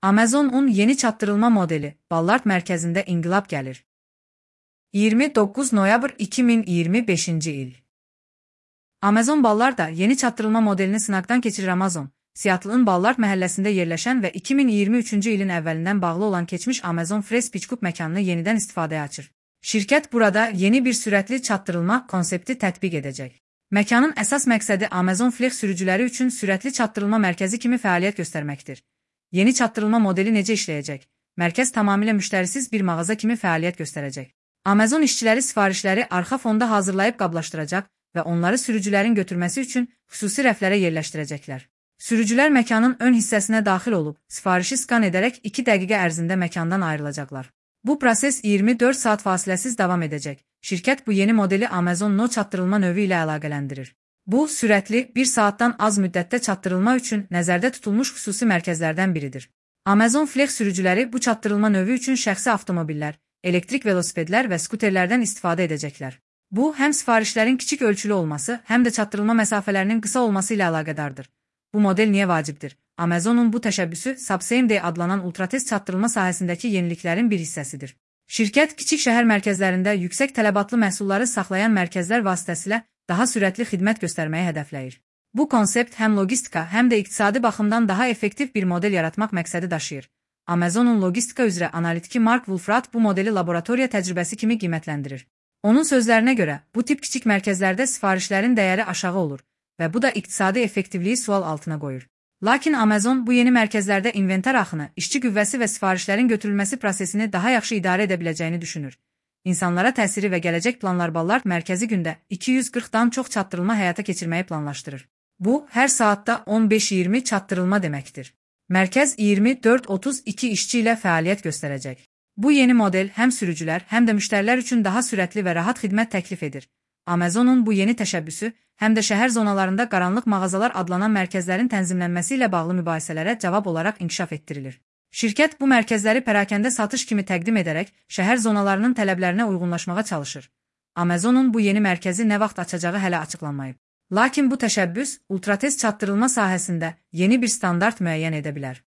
Amazon'un yeni çatdırılma modeli Ballard mərkəzində inqilab gəlir. 29 noyabr 2025-ci il. Amazon Ballard'da yeni çatdırılma modelini sınaqdan keçirir. Amazon, Seattle'ın Ballard məhəlləsində yerləşən və 2023-cü ilin əvvəlindən bağlı olan keçmiş Amazon Fresh Pickup məkanını yenidən istifadəyə açır. Şirkət burada yeni bir sürətli çatdırılma konsepti tətbiq edəcək. Məkanın əsas məqsədi Amazon Flex sürücüləri üçün sürətli çatdırılma mərkəzi kimi fəaliyyət göstərməkdir. Yeni çatdırılma modeli necə işləyəcək? Mərkəz tamamilə müştərisiz bir mağaza kimi fəaliyyət göstərəcək. Amazon işçiləri sifarişləri arxa fonda hazırlayıb qablaşdıracaq və onları sürücülərin götürməsi üçün xüsusi rəflərə yerləşdirəcəklər. Sürücülər məkanın ön hissəsinə daxil olub, sifarişi skan edərək 2 dəqiqə ərzində məkandan ayrılacaqlar. Bu proses 24 saat fasiləsiz davam edəcək. Şirkət bu yeni modeli Amazon No çatdırılma növü ilə əlaqələndirir. Bu, sürətli, 1 saatdan az müddətdə çatdırılma üçün nəzərdə tutulmuş xüsusi mərkəzlərdən biridir. Amazon Flex sürücüləri bu çatdırılma növü üçün şəxsi avtomobillər, elektrik velosipedlər və skuterlərdən istifadə edəcəklər. Bu, həm sifarişlərin kiçik ölçülü olması, həm də çatdırılma məsafələrinin qısa olması ilə əlaqədardır. Bu model niyə vacibdir? Amazon'un bu təşəbbüsü Same Day adlanan ultratez çatdırılma sahəsindəki yeniliklərin bir hissəsidir. Şirkət kiçik şəhər mərkəzlərində yüksək tələbatlı məhsulları saxlayan mərkəzlər vasitəsilə daha sürətli xidmət göstərməyi hədəfləyir. Bu konsept həm logistika, həm də iqtisadi baxımdan daha effektiv bir model yaratmaq məqsədi daşıyır. Amazon'un logistika üzrə analitiki Mark Wolfrat bu modeli laboratoriya təcrübəsi kimi qiymətləndirir. Onun sözlərinə görə, bu tip kiçik mərkəzlərdə sifarişlərin dəyəri aşağı olur və bu da iqtisadi effektivliyi sual altına qoyur. Lakin Amazon bu yeni mərkəzlərdə inventar axını, işçi qüvvəsi və sifarişlərin götürülməsi prosesini daha yaxşı idarə edə biləcəyini düşünür. İnsanlara təsiri və gələcək planlar Ballard mərkəzi gündə 240-dan çox çatdırılma həyata keçirməyi planlaşdırır. Bu, hər saatda 15-20 çatdırılma deməkdir. Mərkəz 24-32 işçi ilə fəaliyyət göstərəcək. Bu yeni model həm sürücülər, həm də müştərilər üçün daha sürətli və rahat xidmət təklif edir. Amazon'un bu yeni təşəbbüsü, həm də şəhər zonalarında qaranlıq mağazalar adlanan mərkəzlərin tənzimlənməsi ilə bağlı mübahisələrə cavab olaraq inkişaf etdirilir. Şirkət bu mərkəzləri pərakəndə satış kimi təqdim edərək şəhər zonalarının tələblərinə uyğunlaşmağa çalışır. Amazon'un bu yeni mərkəzi nə vaxt açacağı hələ açıqlanmayıb. Lakin bu təşəbbüs ultratez çatdırılma sahəsində yeni bir standart müəyyən edə bilər.